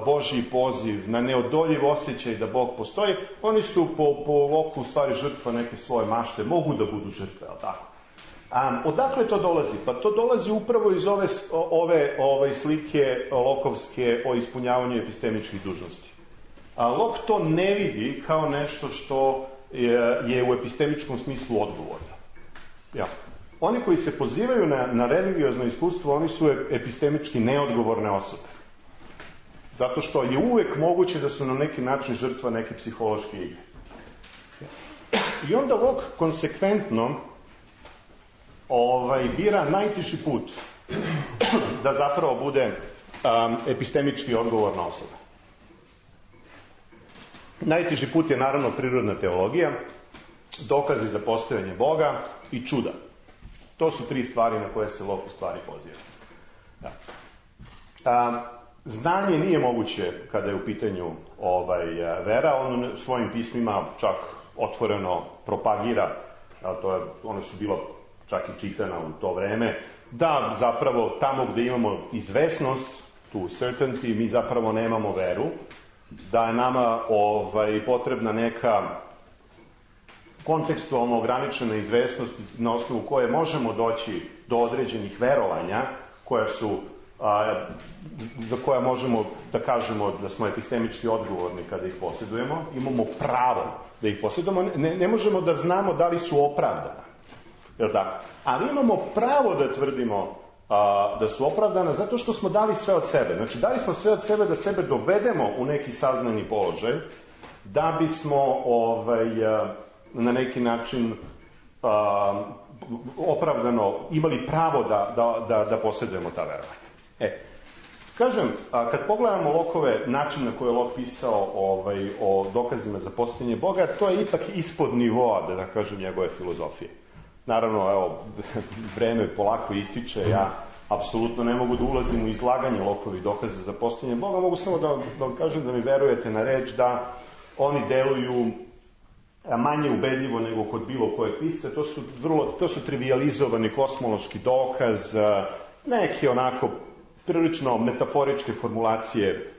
[SPEAKER 6] Božji poziv, na neodoljiv osjećaj da Bog postoji, oni su po, po loku u stvari žrtva neke svoje mašte, mogu da budu žrtve, ali tako. A, odakle to dolazi? Pa to dolazi upravo iz ove, ove, ove slike lokovske o ispunjavanju epistemičkih dužnosti. A Lok to ne vidi kao nešto što je, je u epistemičkom smislu odgovorno. Ja. Oni koji se pozivaju na, na religiozno iskustvo, oni su epistemički neodgovorne osobe. Zato što je uvek moguće da su na neki način žrtva neke psihološke igre. I onda Lok konsekventno ovaj, bira najtiši put da zapravo bude um, epistemički odgovorna osoba. Najteži put je naravno prirodna teologija, dokazi za postojanje Boga i čuda. To su tri stvari na koje se Lok u stvari poziva. Da. A, znanje nije moguće kada je u pitanju ovaj, vera, on svojim pismima čak otvoreno propagira, a to je, one su bilo čak i čitana u to vreme, da zapravo tamo gde imamo izvesnost, tu certainty, mi zapravo nemamo veru, da je nama ovaj, potrebna neka kontekstualno ograničena izvesnost na osnovu koje možemo doći do određenih verovanja koja su, a, za koja možemo da kažemo da smo epistemički odgovorni kada ih posjedujemo, imamo pravo da ih posjedujemo, ne, ne možemo da znamo da li su opravdana, je li tako? Ali imamo pravo da tvrdimo a, da su opravdana zato što smo dali sve od sebe. Znači, dali smo sve od sebe da sebe dovedemo u neki saznani položaj, da bismo ovaj, a, na neki način a, opravdano imali pravo da, da, da, da posjedujemo ta verovanja. E, kažem, a, kad pogledamo Lokove način na koje je Lok pisao ovaj, o dokazima za postojanje Boga, to je ipak ispod nivoa, da, da kažem, njegove filozofije. Naravno, evo, vreme polako ističe, ja apsolutno ne mogu da ulazim u izlaganje Lokovih dokaza za postojanje Boga, mogu samo da, da vam kažem da mi verujete na reč da oni deluju manje ubedljivo nego kod bilo kojeg pisca. To su, vrlo, to su trivializovani kosmološki dokaz, neki onako prilično metaforičke formulacije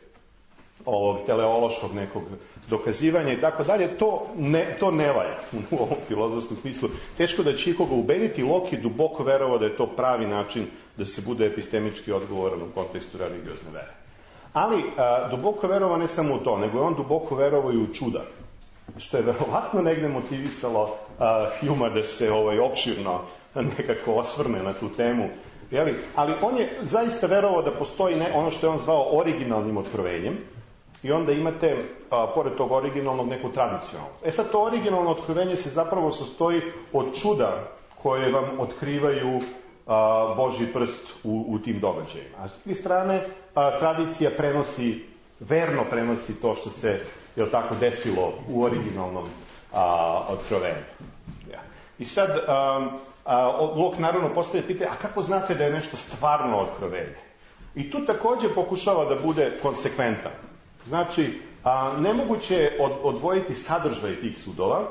[SPEAKER 6] ovog teleološkog nekog dokazivanja i tako dalje. To ne, to ne valja u ovom filozofskom smislu. Teško da će ikoga ubediti. Lok je duboko verovao da je to pravi način da se bude epistemički odgovoran u kontekstu religiozne vere. Ali a, duboko verovao ne samo u to, nego je on duboko verovao i u čuda, što je verovatno negde motivisalo a, Hjuma da se ovaj, opširno nekako osvrne na tu temu. Jeli? Ali on je zaista verovao da postoji ne, ono što je on zvao originalnim otkrovenjem, i onda imate, a, pored tog originalnog, neku tradicionalnu. E sad, to originalno otkrovenje se zapravo sastoji od čuda koje vam otkrivaju a, Božji prst u, u tim događajima. A s druge strane, a, tradicija prenosi, verno prenosi to što se, je tako, desilo u originalnom a, otkrovenju. Ja. I sad, a, a, Lok naravno postavlja pitanje, a kako znate da je nešto stvarno otkrovenje? I tu takođe pokušava da bude konsekventan. Znači, a, nemoguće je od, odvojiti sadržaj tih sudova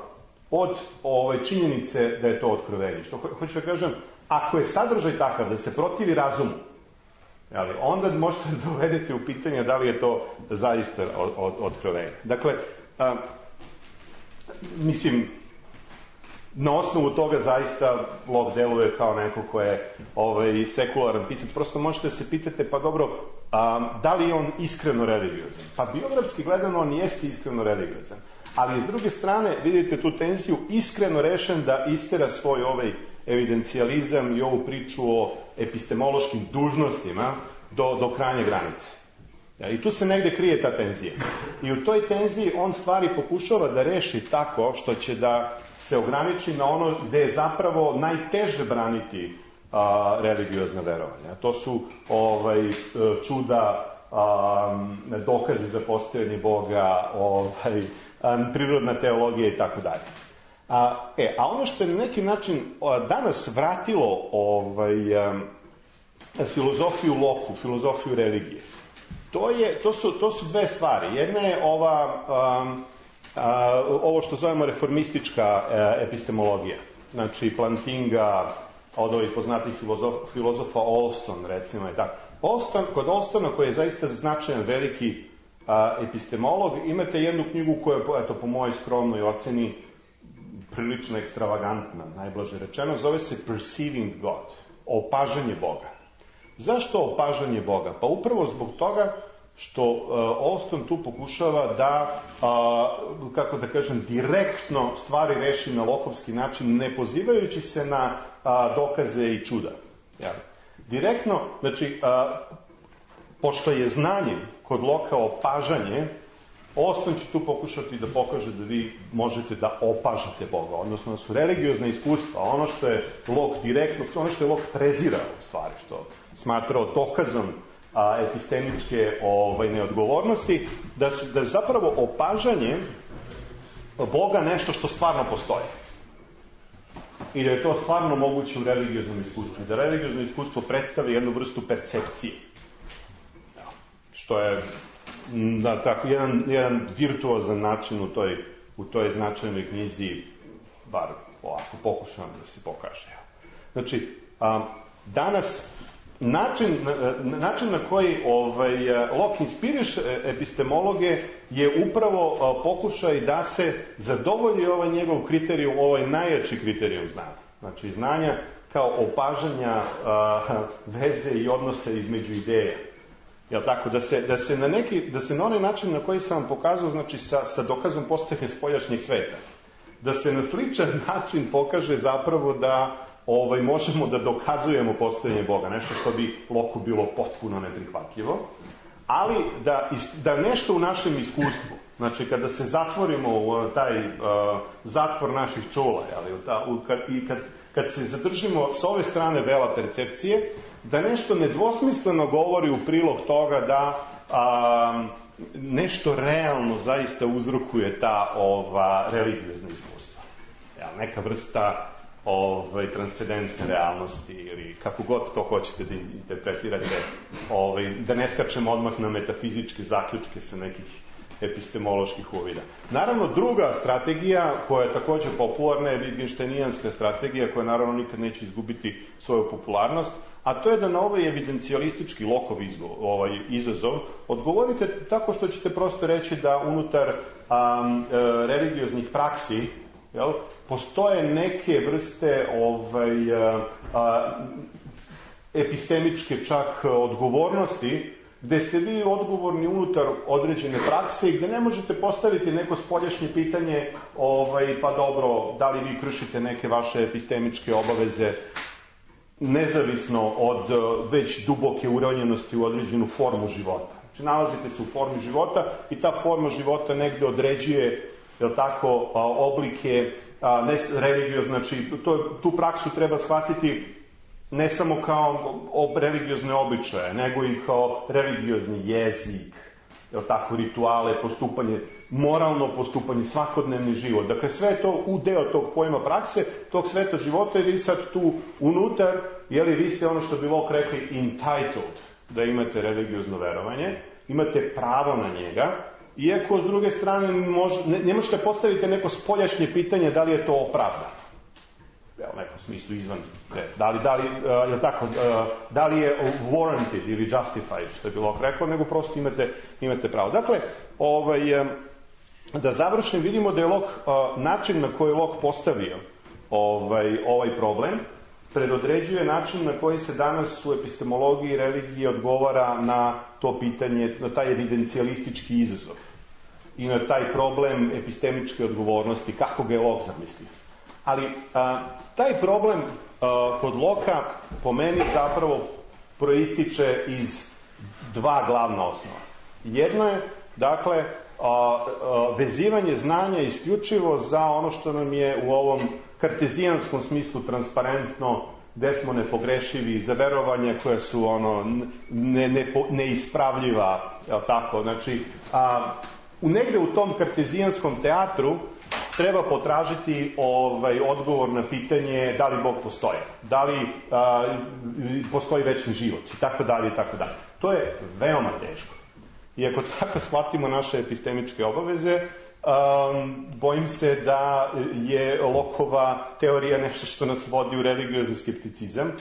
[SPEAKER 6] od ove činjenice da je to otkrovenje. Što ho, hoću da kažem, ako je sadržaj takav da se protivi razumu, jeli, onda možete da dovedete u pitanje da li je to zaista od, od, otkrovenje. Dakle, a, mislim, na osnovu toga zaista Lok deluje kao neko ko je ovaj, sekularan pisac. Prosto možete se pitate, pa dobro, a, da li je on iskreno religiozan? Pa biografski gledano on jeste iskreno religiozan. Ali s druge strane, vidite tu tenziju, iskreno rešen da istera svoj ovaj evidencijalizam i ovu priču o epistemološkim dužnostima do, do krajnje granice. Ja, i tu se negde krije ta tenzija. I u toj tenziji on stvari pokušava da reši tako što će da se ograniči na ono gde je zapravo najteže braniti a, religiozna verovanja. To su ovaj, čuda, a, dokaze za postojanje Boga, ovaj, a, prirodna teologija i tako dalje. A, e, a ono što je na neki način danas vratilo ovaj, a, filozofiju Loku, filozofiju religije, to, je, to, su, to su dve stvari. Jedna je ova um, a, ovo što zovemo reformistička a, epistemologija, znači Plantinga, od ovih poznatih filozof, filozofa Olston, recimo, i tako. Olston, kod Olstona, koji je zaista značajan veliki a, epistemolog, imate jednu knjigu koja je, eto, po mojoj skromnoj oceni, prilično ekstravagantna, najblaže rečeno, zove se Perceiving God, opažanje Boga. Zašto opažanje Boga? Pa upravo zbog toga što uh, Olston tu pokušava da, uh, kako da kažem, direktno stvari reši na lokovski način, ne pozivajući se na uh, dokaze i čuda. Ja. Direktno, znači, uh, pošto je znanje kod Loka opažanje, Olston će tu pokušati da pokaže da vi možete da opažate Boga, odnosno da su religiozna iskustva, ono što je Lok direktno, ono što je Lok prezirao u stvari, što smatrao dokazom a, epistemičke ovaj, neodgovornosti, da su da je zapravo opažanje Boga nešto što stvarno postoji. I da je to stvarno moguće u religioznom iskustvu. Da religiozno iskustvo predstavlja jednu vrstu percepcije. Što je na tako jedan, jedan virtuozan način u toj, u toj značajnoj knjizi, bar ovako pokušavam da se pokaže. Znači, a, danas način, način na koji ovaj, Locke inspiriše epistemologe je upravo a, pokušaj da se zadovolji ovaj njegov kriterijum, ovaj najjači kriterijum znanja. Znači, znanja kao opažanja a, veze i odnose između ideja. Jel tako, da se, da se na neki, da se na onaj način na koji sam vam pokazao, znači sa, sa dokazom postojanja spoljašnjeg sveta, da se na sličan način pokaže zapravo da ovaj, možemo da dokazujemo postojanje Boga, nešto što bi Loku bilo potpuno neprihvatljivo, ali da, da nešto u našem iskustvu, znači kada se zatvorimo u taj uh, zatvor naših čula, jel, u ta, u, kad, i kad, kad se zadržimo s ove strane vela percepcije, da nešto nedvosmisleno govori u prilog toga da a, nešto realno zaista uzrokuje ta ova religiozna iskustva. Ja, neka vrsta ovaj, transcendentne realnosti ili kako god to hoćete da interpretirate, ovaj, da ne skačemo odmah na metafizičke zaključke sa nekih epistemoloških uvida. Naravno, druga strategija koja je također popularna je Wittgensteinijanska strategija koja naravno nikad neće izgubiti svoju popularnost, a to je da na ovaj evidencijalistički Lokov ovaj izazov odgovorite tako što ćete prosto reći da unutar um, e, religioznih praksi, jel, postoje neke vrste ovaj, a, a, epistemičke čak odgovornosti gde ste vi odgovorni unutar određene prakse i gde ne možete postaviti neko spoljašnje pitanje, ovaj, pa dobro, da li vi kršite neke vaše epistemičke obaveze nezavisno od već duboke uronjenosti u određenu formu života. Znači, nalazite se u formi života i ta forma života negde određuje, jel tako, oblike ne religiozne, znači to, tu praksu treba shvatiti ne samo kao religiozne običaje, nego i kao religiozni jezik, jel tako, rituale, postupanje, moralno postupanje, svakodnevni život. Dakle, sve je to u deo tog pojma prakse, tog sveta života i vi sad tu unutar, jeli, vi ste ono što bi Locke rekli entitled, da imate religiozno verovanje, imate pravo na njega, iako s druge strane mož, ne, ne možete postaviti neko spoljašnje pitanje da li je to opravdano. Evo, u nekom smislu izvan te. Da li, da li, uh, je tako, uh, da li je warranted ili justified, što je bilo rekao, nego prosto imate, imate pravo. Dakle, ovaj, um, da završim, vidimo da je Locke, uh, način na koji je Locke postavio ovaj, ovaj problem, predodređuje način na koji se danas u epistemologiji i religiji odgovara na to pitanje, na taj evidencijalistički izazov i na taj problem epistemičke odgovornosti, kako ga je Locke zamislio. Ali a, taj problem a, kod Locka po meni zapravo proističe iz dva glavna osnova. Jedno je, dakle, a, a, vezivanje znanja isključivo za ono što nam je u ovom kartezijanskom smislu transparentno, gde smo nepogrešivi, za verovanja koja su ono ne, ne, neispravljiva, jel tako? Znači, a, u negde u tom kartezijanskom teatru treba potražiti ovaj, odgovor na pitanje da li Bog postoji, da li a, postoji večni život i tako dalje i tako dalje. To je veoma teško. I ako tako shvatimo naše epistemičke obaveze, Um, bojim se da je Lockeova teorija nešto što nas vodi u religiozni skepticizam,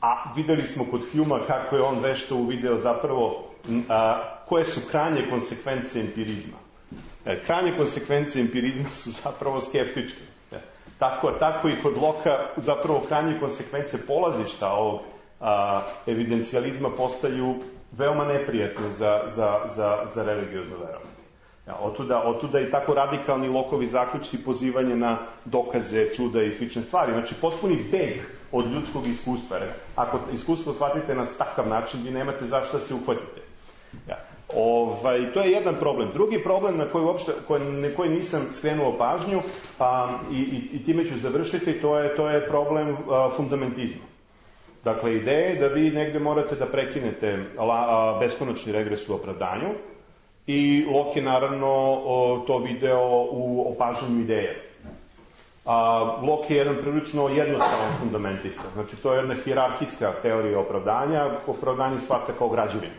[SPEAKER 6] a videli smo kod Humea kako je on vešto uvideo zapravo a, koje su krajnje konsekvence empirizma. E, krajnje konsekvence empirizma su zapravo skeptičke. E, tako, tako i kod Locke zapravo krajnje konsekvence polazišta ovog a, evidencijalizma postaju veoma neprijatne za, za, za, za religiozno verovanje. Ja, otuda, otuda i tako radikalni Lockeovi zaključci pozivanje na dokaze, čuda i slične stvari. Znači, potpuni beg od ljudskog iskustva. Ako iskustvo shvatite na takav način, vi nemate zašto da se uhvatite. Ja. Ovaj, to je jedan problem. Drugi problem na koji, uopšte, koji, na koji nisam skrenuo pažnju, a, i, i, i time ću završiti, to je, to je problem a, fundamentizma. Dakle, ideja je da vi negde morate da prekinete la, a, beskonačni regres u opravdanju, i Locke je naravno o, to video u opažanju ideja. A, Locke je jedan prilično jednostavan fundamentista. Znači, to je jedna hijerarhijska teorija opravdanja, opravdanje shvata kao građevinu.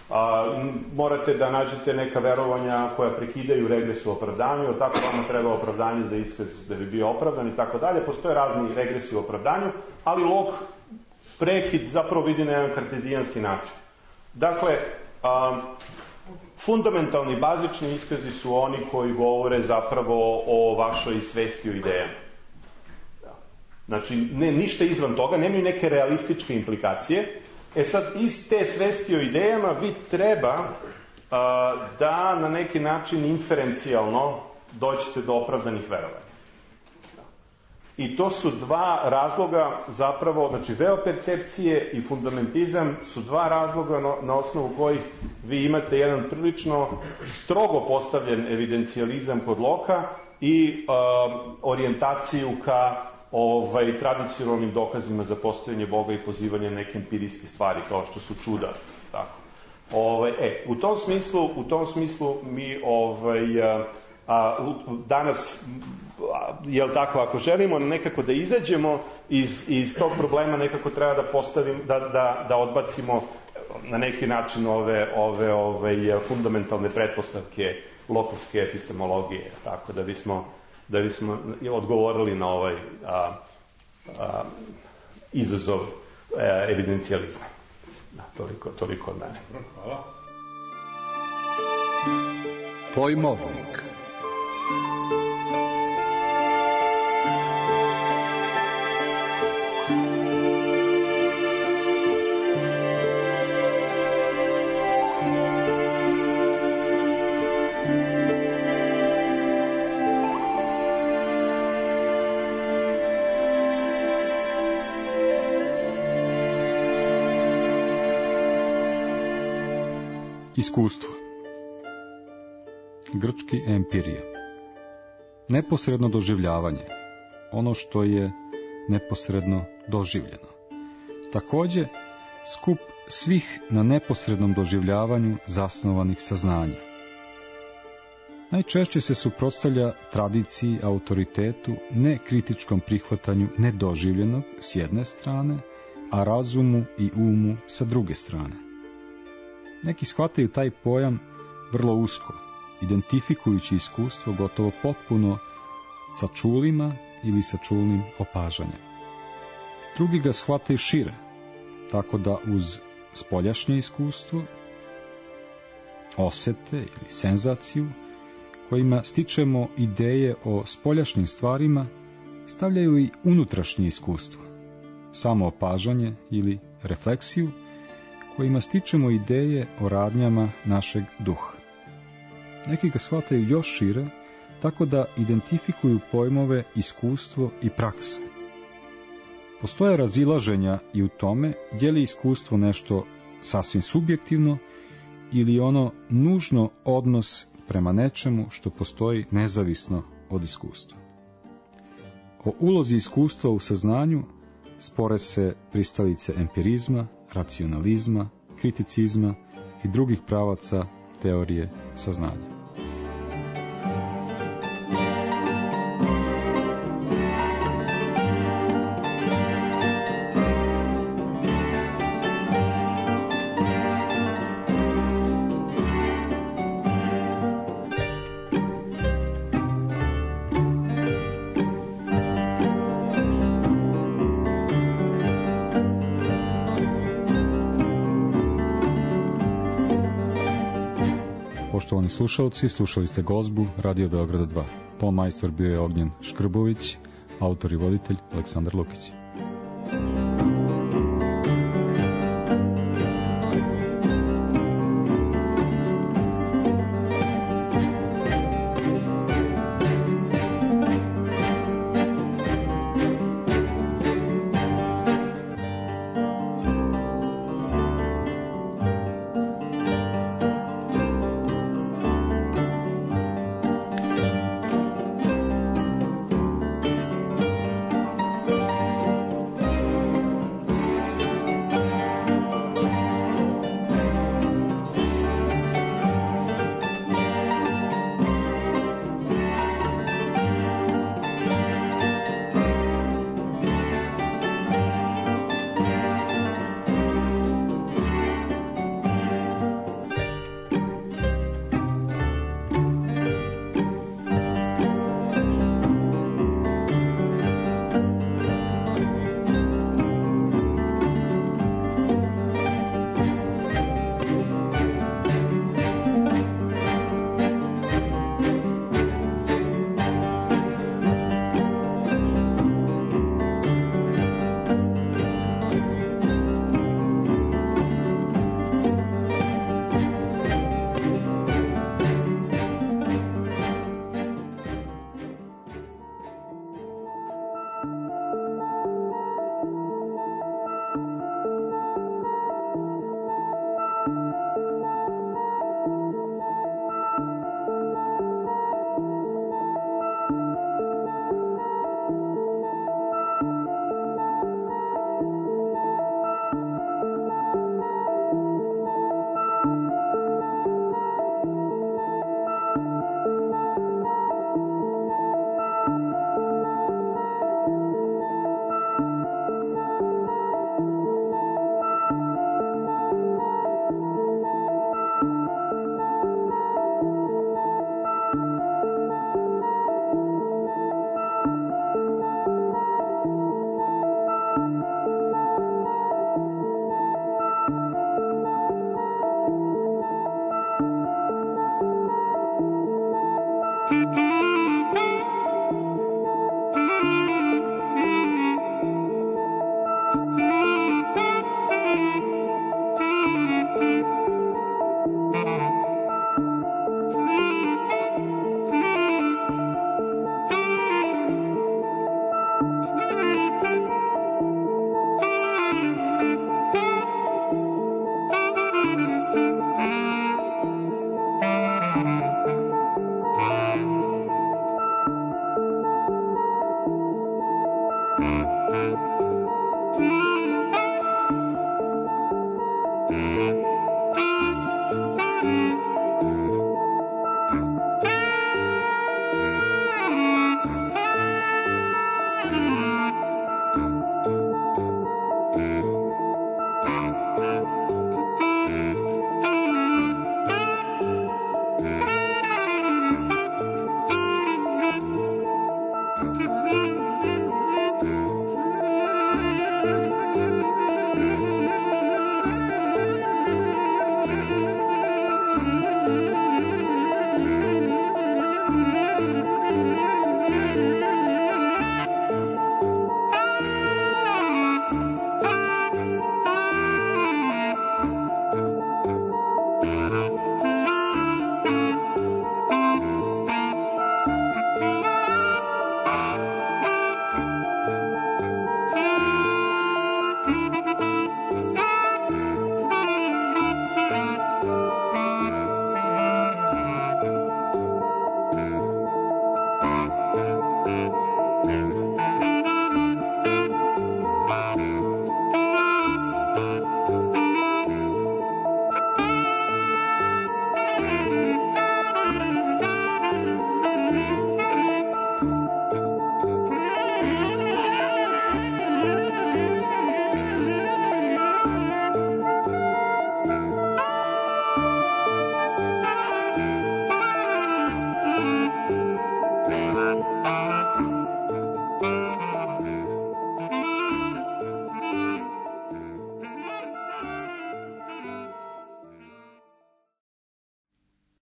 [SPEAKER 6] A, morate da nađete neka verovanja koja prekidaju regres u opravdanju, tako vama treba opravdanje za iskaz da bi bio opravdan i tako dalje. Postoje razni regresi u opravdanju, ali Locke prekid zapravo vidi na jedan kartezijanski način. Dakle, a, fundamentalni, bazični iskazi su oni koji govore zapravo o vašoj svesti o idejama. Znači, ne, ništa izvan toga, nemaju neke realističke implikacije. E sad, iz te svesti o idejama vi treba a, da na neki način inferencijalno dođete do opravdanih verovanja. I to su dva razloga zapravo, znači veopercepcije i fundamentizam su dva razloga na, na osnovu kojih vi imate jedan prilično strogo postavljen evidencijalizam kod Locke i um, orijentaciju ka ovaj, tradicionalnim dokazima za postojanje Boga i pozivanje neke empirijske stvari kao što su čuda. Tako. Ovaj, e, u tom smislu, u tom smislu mi ovaj, a, a, danas jel tako, ako želimo nekako da izađemo iz, iz tog problema, nekako treba da postavimo, da, da, da odbacimo na neki način ove, ove, ove fundamentalne pretpostavke Lockeovske epistemologije, tako da bismo, da bismo odgovorili na ovaj a, a, izazov a, evidencijalizma. Da, toliko, toliko od mene. Hvala.
[SPEAKER 2] Pojmovnik.
[SPEAKER 7] Iskustvo. Grčki empirija. Neposredno doživljavanje. Ono što je neposredno doživljeno. Također, skup svih na neposrednom doživljavanju zasnovanih saznanja. Najčešće se suprotstavlja tradiciji, autoritetu, nekritičkom prihvatanju nedoživljenog s jedne strane, a razumu i umu sa druge strane. Neki shvataju taj pojam vrlo usko, identifikujući iskustvo gotovo potpuno sa čulima ili sa čulnim opažanjem. Drugi ga shvataju šire, tako da uz spoljašnje iskustvo, osete ili senzaciju, kojima stičemo ideje o spoljašnjim stvarima, stavljaju i unutrašnje iskustvo, samo opažanje ili refleksiju, kojima stičemo ideje o radnjama našeg duha. Neki ga shvataju još šire, tako da identifikuju pojmove iskustvo i praksa. Postoje razilaženja i u tome je li iskustvo nešto sasvim subjektivno ili ono nužno odnos prema nečemu što postoji nezavisno od iskustva. O ulozi iskustva u saznanju spore se pristalice empirizma, racionalizma, kriticizma i drugih pravaca teorije saznanja. Poštovani slušalci, slušali ste gozbu Radio Beograda dva. Ton majstor bio je Ognjen Škrbović, autor i voditelj Aleksandar Lukić.